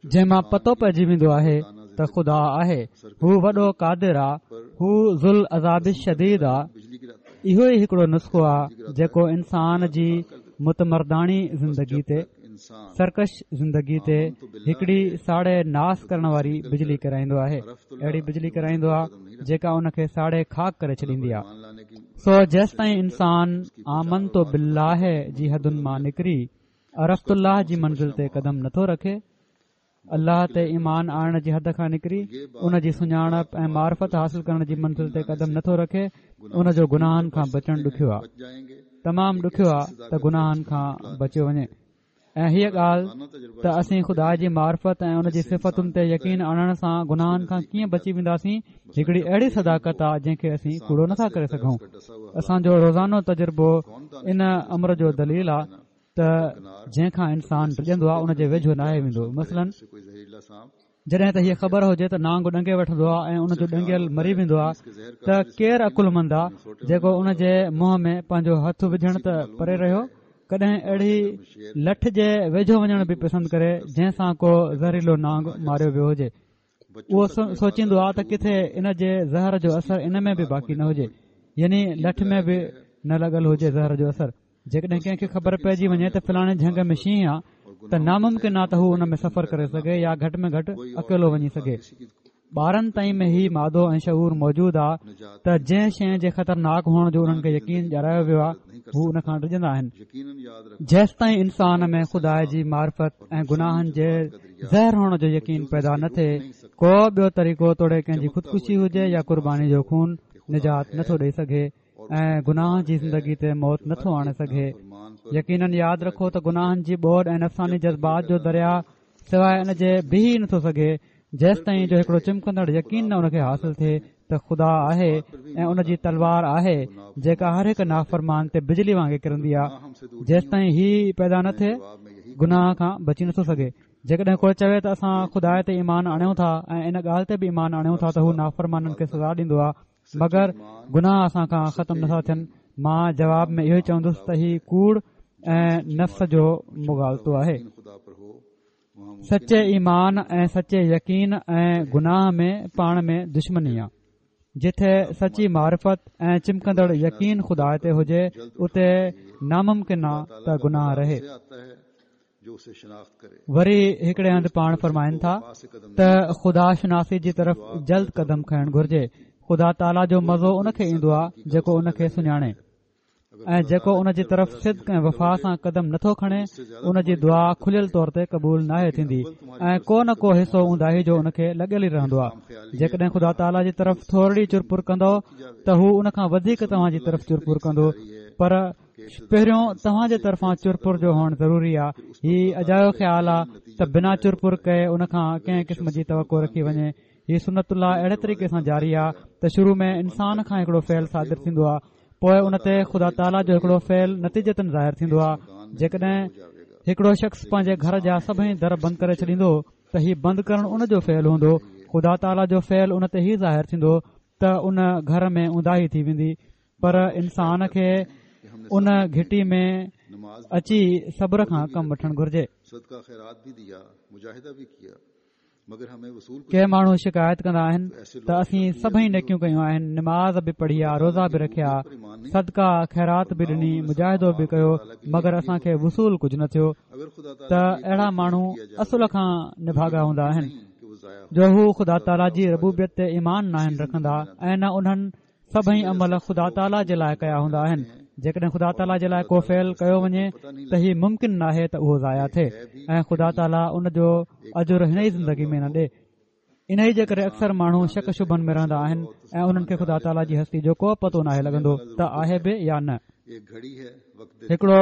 جنهن مان پتو پئجي ويندو آهي ته خدا آهي، هو وڏو قادر آهي، هو ذوالعذاب الشديد آهي. اهو ئي هڪڙو نسخو آهي جيڪو انسان جي متمرداڻي زندگي تي، سرڪش زندگي تي هڪڙي ساڙي ناس ڪرڻ واري بجلي ڪرائيندو آهي، اهڙي بجلي ڪرائيندو آهي جيڪا ان کي ساڙي خاڪ ڪري ڇڏيندي آهي. سو جيستائين انسان آمنت بالله جي حدن مان نڪري عرفت الله جي منزل تي قدم نٿو رکي الله تي ايمان آڻڻ جي حد کان نڪري ان جي سڃاڻپ ۽ معرفت حاصل ڪرڻ جي منزل تي قدم نٿو رکي، ان جو گناهن کان بچڻ ڏکيو آهي، تمام ڏکيو آهي ته گناهن کان بچيو وڃي. ۽ هيء ڳالهه ته اسين خدا جي معرفت ۽ ان جي صفتن تي يقين آڻڻ سان گناهن کان ڪيئن بچي وينداسين، هڪڙي اهڙي صداقت آهي جنهن کي اسين ڪوڙو نٿا ڪري سگهون. اسان جو روزانو تجربو ان امر جو دليل آهي ته جنهن کان انسان ڊڄندو آهي ان جي ويجهو ناهي ويندو. مثلاً جڏهن ته هيء خبر هجي ته نانگ ڏنگي وٺندو آهي ۽ ان جو ڏنگيل مري ويندو آهي ته ڪير عقلمند آهي جيڪو ان جي منهن ۾ پنهنجو هٿ وجهڻ ته پري رهيو، ڪڏهن اهڙي لٺ جي ويجهو وڃڻ به پسند ڪري جنهن سان ڪو زهريلو نانگ ماريو ويو هجي. اهو سوچيندو آهي ته ڪٿي ان جي زهر جو اثر ان ۾ به باقي نه هجي، يعني لٺ ۾ به نه لڳل هجي زهر جو اثر. جيڪڏهن ڪنهن کي خبر پئجي وڃي ته فلاڻي جهنگ ۾ شينهن آهي ته ناممڪن آهي ته هو ان ۾ سفر ڪري سگهي يا گهٽ ۾ گهٽ اڪيلو وڃي سگهي. ٻارن تائين ۾ هي مادو ۽ شعور موجود آهي ته جنهن شيء جي خطرناڪ هئڻ جو انهن کي يقين ڏياريو ويو آهي هو ان کان ڊڄندا آهن. جيستائين انسان ۾ خدا جي معرفت ۽ گناهن جي زهر هئڻ جو يقين پيدا نه ٿئي، ڪو ٻيو طريقو توڙي ڪنهن جي خودڪشي هجي يا قرباني جو خون نجات نٿو ڏئي سگهي ۽ گناهه جي زندگي تي موت نٿو آڻي سگهي. يقينن ياد رکو ته گناهن جي ٻوڏ ۽ نفساني جذبات جو درياء سواء ان جي بيهي نٿو سگهي جيستائين جو هڪڙو چمڪندڙ يقين نه ان کي حاصل ٿئي ته خدا آهي ۽ ان جي تلوار آهي جيڪا هر هڪ نافرمان تي بجلي وانگي ڪرندي آهي. جيستائين هي پيدا نه ٿئي گناهه کان بچي نٿو سگهي. جيڪڏهن ڪو چوي ته اسان خدا تي ايمان آڻيون ٿا ۽ ان ڳالهه تي به ايمان آڻيون ٿا ته هو نافرمانن کي سزا ڏيندو آهي مگر گناهه اسان کان ختم نٿا ٿين، مان جواب ۾ اهو ئي چوندس ته هي ڪوڙ ۽ نفس جو مغالطو آهي. سچي ايمان ۽ سچي يقين ۽ گناهه ۾ پاڻ ۾ دشمني آهي. جٿي سچي معرفت ۽ چمڪندڙ يقين خدا تي هجي اتي ناممڪن آهي ته گناهه رهي. وري هڪڙي هنڌ پاڻ فرمائن ٿا ته خدا شناسي جي طرف جلد قدم کڻڻ گهرجي. خدا تعاليٰ جو مزو ان کي ايندو آهي جيڪو ان کي سڃاڻي ۽ جيڪو ان جي طرف صدق ۽ وفا سان قدم نٿو کڻي ان جي دعا کليل طور تي قبول ناهي ٿيندي ۽ ڪو نه ڪو حصو اونداهي جو ان کي لڳل ئي رهندو آهي. جيڪڏهن خدا تعاليٰ جي طرف ٿورڙي چرپر ڪندو ته هو ان کان وڌيڪ توهان جي طرف چرپر ڪندو، پر پهريون توهان جي طرفان چرپر جو هئڻ ضروري آهي. هي اجايو خيال آهي ته بنا چرپر ڪئي ان کان ڪنهن قسم جي توقع رکي وڃي. هي سنت الله اهڙي طريقي سان جاري آهي ته شروع ۾ انسان کان هڪڙو فعل صادر ٿيندو آهي، پوء ان تي خدا تعاليٰ جو هڪڙو فعل نتيجتاً ظاهر ٿيندو آهي. جيڪڏهن هڪڙو شخص پنهنجي گهر جا سڀئي در بند ڪري ڇڏيندو ته هي بند ڪرڻ ان جو فعل هوندو، خدا تعاليٰ جو فعل ان تي هي ظاهر ٿيندو ته ان گهر ۾ اونداهي ٿي ويندي. پر انسان کي ان گهٽي ۾ اچي صبر کان ڪم وٺڻ گهرجي. ڪي ماڻهو شڪايت ڪندا آهن ته اسين سڀئي نيڪيون ڪيون آهن، نماز به پڙهي آ، روزا به رکيا، صدقه خيرات به ڏني، مجاهدو به ڪيو، مگر اسان کي وصول ڪجهه نه ٿيو. ته اهڙا ماڻهو اصل کان نڀاڳا هوندا آهن جو هو خدا تعاليٰ جي ربوبيت تي ايمان ناهن رکندا ۽ نه انهن سڀئي عمل خدا تعاليٰ جي لاءِ ڪيا هوندا آهن. جيڪڏهن خدا تعاليٰ جي لاءِ ڪو فعل ڪيو وڃي ته هي ممڪن ناهي ته اهو ضايع ٿئي ۽ خدا تعاليٰ ان جو اجر هن ئي زندگي ۾ نه ڏئي. انهيء جي ڪري اڪثر ماڻهو شڪ شبهن ۾ رهندا آهن ۽ انهن کي خدا تعاليٰ جي هستي جو ڪو پتو ناهي لڳندو ته آهي به يا نه. هڪڙو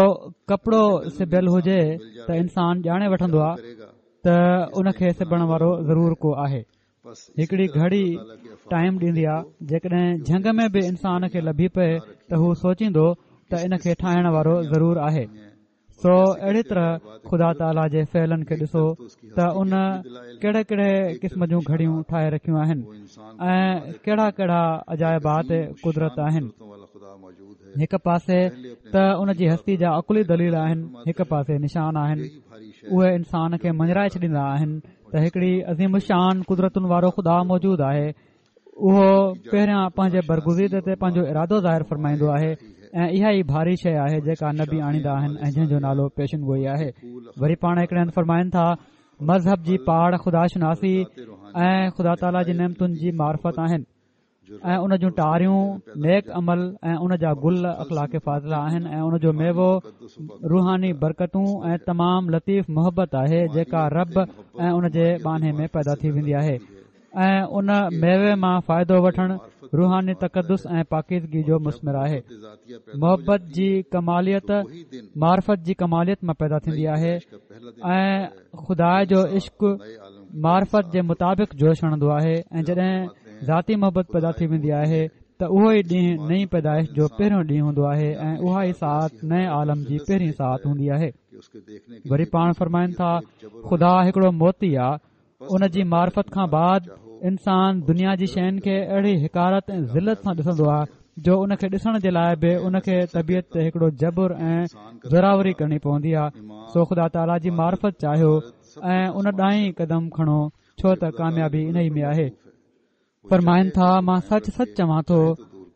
ڪپڙو سبيل هجي ته انسان ڄاڻي وٺندو آهي ته ان کي سبڻ وارو ضرور ڪو آهي. هڪڙي گهڙي ٽائيم ڏيندي آ، جيڪڏهن جهنگ ۾ به انسان کي لڀي پئي ته هو سوچيندو ته ان کي ٺاهڻ وارو ضرور آهي. سو اهڙي طرح خدا تعاليٰ جي فعلن کي ڏسو ته ان ڪهڙي ڪهڙي قسم جون گهڙيون ٺاهي رکيون آهن ۽ ڪهڙا ڪهڙا عجائبات قدرت آهن. هڪ پاسي ته ان جي هستي جا عقلي دليل آهن، هڪ پاسي نشان آهن. اهي انسان کي مڃرائي ڇڏيندا آهن ته هڪڙي عظيم الشان قدرتن وارو خدا موجود آهي. اهو پهريان پنهنجي برگزيده تي پنهنجو ارادو ظاهر فرمائيندو آهي ۽ اها ئي ڀاري شيءِ آهي جيڪا نبي آڻيندا آهن ۽ جنهن جو نالو پيشن گوئي آهي. وري پاڻ هڪڙي هنڌ فرمائن ٿا، مذهب جي پاڙ خدا شناسي ۽ خدا تعاليٰ جي نعمتن جي معرفت آهن. ۽ ان جون ٽاريون نيڪ عمل ۽ ان جا گل اخلاق فاضله آهن ۽ ان جو ميوو روحاني برڪتون ۽ تمام لطيف محبت آهي جيڪا رب ۽ ان جي ٻانهي ۾ پيدا ٿي ويندي آهي ۽ ان ميوي مان فائدو وٺڻ روحاني تقدس ۽ پاڪيزگي جو مثمر آهي. محبت جي ڪماليت معرفت جي ڪماليت مان پيدا ٿيندي آهي ۽ خدا جو عشق معرفت جي مطابق جوش هڻندو آهي ۽ جڏهن ذاتي محبت پيدا ٿي ويندي آهي ته اهو ئي ڏينهن نئين پيدائش جو پهريون ڏينهن هوندو آهي ۽ اها ئي ساعت نئين عالم جي پهرين ساعت هوندي آهي. وري پاڻ فرمائن ٿا خدا هڪڙو موتي آ، ان جي معرفت کان بعد انسان دنيا جي شين کي اهڙي حقارت ۽ ذلت سان ڏسندو آهي جو ان کي ڏسڻ جي لاءِ به ان کي طبيعت تي هڪڙو جبر ۽ زوراوري ڪرڻي پوندي آهي. سو خدا تعاليٰ جي معرفت چاهيو ۽ ان ڏانهن ئي قدم کڻو ڇو ته ڪاميابي ان ئي ۾ آهي. فرمائن ٿا مان سچ سچ چوان ٿو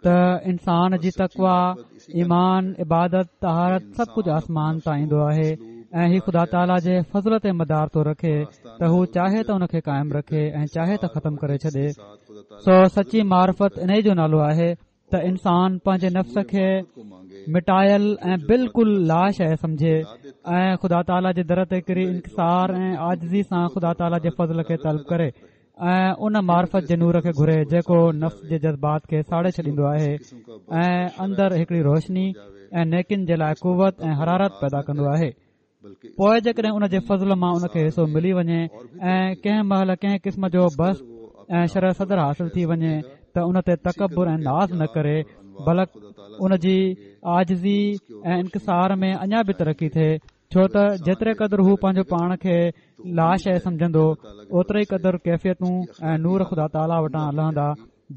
ته انسان جي تقويٰ، ايمان، عبادت، طهارت سڀ ڪجهه آسمان تان ايندو آهي ۽ هي خدا تعاليٰ جي فضل تي مدار ٿو رکي ته هو چاهي ته ان کي قائم رکي ۽ چاهي ته ختم ڪري ڇڏي. سو سچي معرفت انهي جو نالو آهي ته انسان پنهنجي نفس کي مٽايل ۽ بلڪل لا شيء سمجهي ۽ خدا تعاليٰ جي در تي ڪري انڪسار ۽ عاجزي سان خدا تعاليٰ جي فضل کي طلب ڪري ۽ ان معرفت جي نور کي گهري جيڪو نفس جي جذبات کي ساڙي ڇڏيندو آهي ۽ اندر هڪڙي روشني ۽ نيڪين جي لاءِ قوت ۽ حرارت پيدا ڪندو آهي. پوءِ جيڪڏهن ان جي فضل مان ان کي حصو ملي وڃي ۽ ڪنهن مهل ڪنهن قسم جو بسط ۽ شرح صدر حاصل ٿي وڃي ته ان تي تڪبر ۽ ناز نه ڪري بلڪ ان جي عاجزي ۽ انڪسار ۾ اڃا به ترقي ٿئي، ڇو ته جيتري قدر هو پنهنجو پاڻ کي لا شيء سمجهندو اوتري قدر ڪيفيتون ۽ نور خدا تعاليٰ وٽان لهندا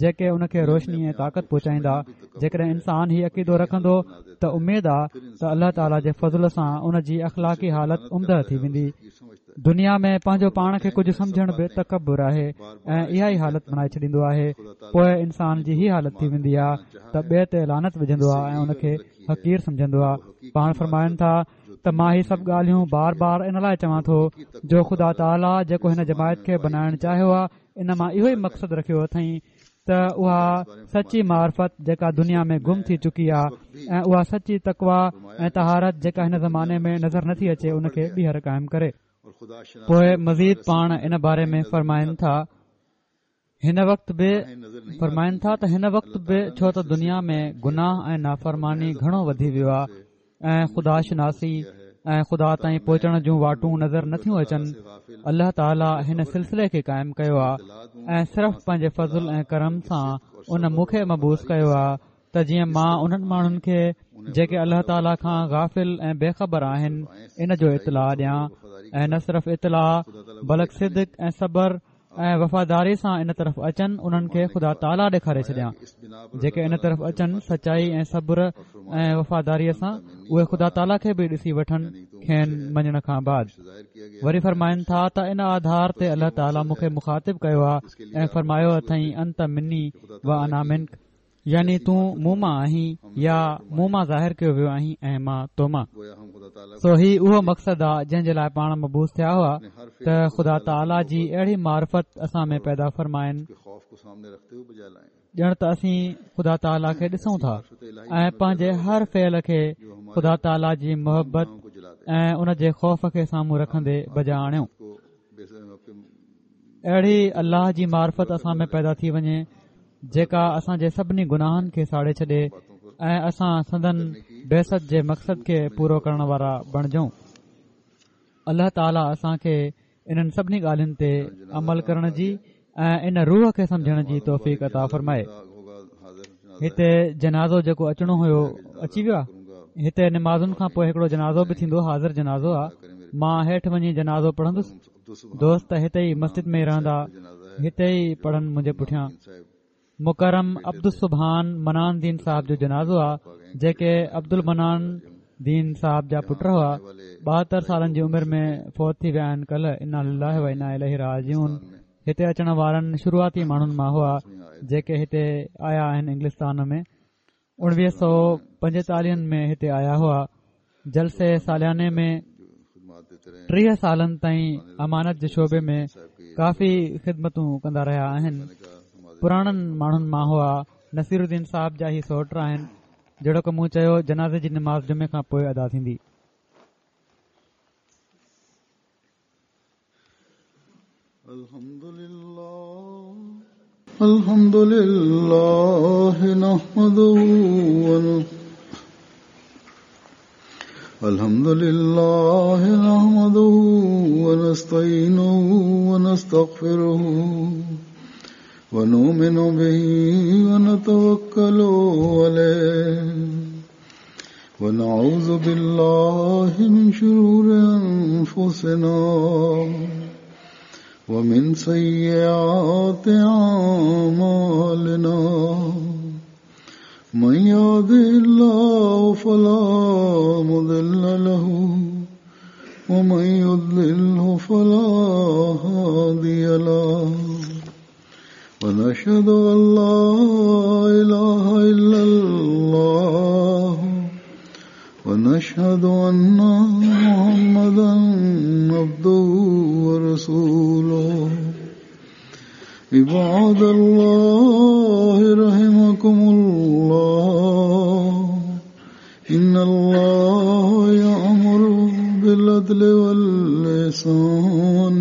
جيڪي ان کي روشني ۽ طاقت پهچائيندا. جيڪڏهن انسان هي عقيدو رکندو ته اميد آ ته الله تعاليٰ جي فضل سان ان جي اخلاقي حالت عمده ٿي ويندي. دنيا ۾ پنهنجو پاڻ کي ڪجهه سمجهڻ به تڪبر آهي ۽ اها ئي حالت بڻائي ڇڏيندو آهي. پوءِ انسان جي هي حالت ٿي ويندي آ ته ٻئي تي لعنت وجهندو آ ۽ ان کي حقير سمجهندو آ. پاڻ فرمائن ٿا ته مان هي سڀ ڳالهيون بار بار ان لاءِ چوان ٿو جو خدا تعاليٰ جيڪو هن جماعت کي بنائڻ چاهيو آ ان مان اهو ئي مقصد رکيو اٿئين ته اها سچي معرفت جيڪا دنيا ۾ گم ٿي چڪي آ ۽ اها سچي تقويٰ ۽ طهارت جيڪا هن زماني ۾ نظر نٿي اچي ان کي ٻيهر قائم ڪري. پوءِ مزيد پاڻ ان باري ۾ فرمائن ٿا هن وقت به فرمائن ٿا ته هن وقت به ڇو ته دنيا ۾ گناهه ۽ نافرماني گهڻو وڌي ويو آ ۽ خدا شناسي ۽ خدا تائين پهچڻ جون واٽون نظر نٿيون اچن، الله تعاليٰ هن سلسلي کي قائم ڪيو آ ۽ صرف پنهنجي فضل ۽ ڪرم سان ان مون کي مبعوث ڪيو آ ته جيئن مان انهن ماڻهن کي جيڪي الله تعاليٰ کان غافل ۽ بي خبر آهن ان جو اطلاع ڏيان ۽ نه صرف اطلاع بلڪ صدق ۽ صبر ۽ وفاداري سان ان طرف اچن انهن کي خدا تعاليٰ ڏيکاري ڇڏيان. جيڪي ان طرف اچن سچائي ۽ صبر ۽ وفاداريء سان اهي خدا تعاليٰ کي به ڏسي وٺن کين مڃڻ کان بعد. وري فرمائن ٿا ته ان آڌار تي الله تعاليٰ مون کي مخاطب ڪيو آ ۽ فرمايو اٿئين انت مني و انا منڪ، يعني تون مون مان آهين يا مون مان ظاهر ڪيو ويو آهين ۽ مان تو مان. سو هي اهو مقصد آ جنهن جي لاءِ پاڻ مبعوث ٿيا هئا ته خدا تعاليٰ جي اهڙي معرفت اسان ۾ پيدا فرمائن ڄڻ ته اسين خدا تعاليٰ کي ڏسون ٿا ۽ پنهنجي هر فعل کي خدا تعاليٰ جي محبت ۽ ان جي خوف کي سامهون رکندي بجا آڻيون. اهڙي الله جي معرفت اسان ۾ پيدا ٿي وڃي جيڪا اسان جي سڀني گناهن کي ساڙي ڇڏي ۽ اسان سندن بعثت جي مقصد کي پورو ڪرڻ وارا بڻجون. الله تعاليٰ اسان کي انهن سڀني ڳالهين تي عمل ڪرڻ جي ۽ ان روح کي سمجهڻ جي توفيق عطا فرمائي. هتي جنازو جيڪو اچڻو هيو اچي ويو آ. هتي نمازن کان پوءِ هڪڙو جنازو به ٿيندو، حاضر جنازو آ. مان هيٺ وڃي جنازو پڙهندس. دوست هتي ئي مسجد ۾ ئي رهندا، هتي ئي پڙهن منهنجي پٺيان. مڪرم عبدالسبحان منان دين صاحب جو جنازو آ، جيڪي عبدالمنان دين صاحب جا پٽ هئا. ٻاهتر سالن جي عمر ۾ فوت ٿي ويا آهن ڪلهه. انا لله و انا اليه راجعون. هتي اچڻ وارن شروعاتي ماڻهن مان هئا جيڪي هتي آيا آهن انگلستان ۾. اڻويهه سؤ پنجيتاليهن ۾ هتي آيا هئا. جلسي سالياني ۾ ٽيهه سالن تائين امانت جي شعبي ۾ ڪافي خدمتون ڪندا رهيا آهن. پراڻن ماڻهن مان هئا. نصيرالدين صاحب جا هي سؤٽ آهن. جهڙوڪ مون چيو، جنازي جي نماز جمعي کان پوءِ ادا ٿيندي. الحمد لله نحمده الحمد لله نحمده ونستعينه ونستغفره ونؤمن به ونتوكل عليه ونعوذ بالله من شرور أنفسنا ومن سيئات أعمالنا من يهده الله فلا مضل له ومن يضلله فلا هادي له ونشهد أن لا إله إلا الله ونشهد أن محمدا عبده ورسوله. عباد الله رحمكم الله، إن الله يأمر بالعدل والإحسان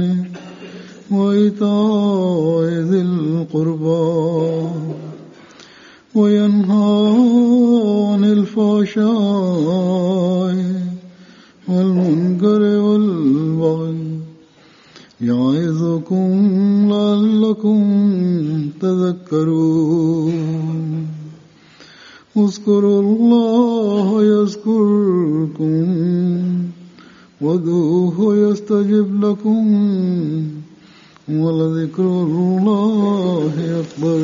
وإيتاء ذي القربى وينهى عن الفحشاء والمنكر والبغي يعظكم لعلكم تذكرون. اذكروا الله يذكركم وادعوه يستجب لكم ولذكر الله أكبر.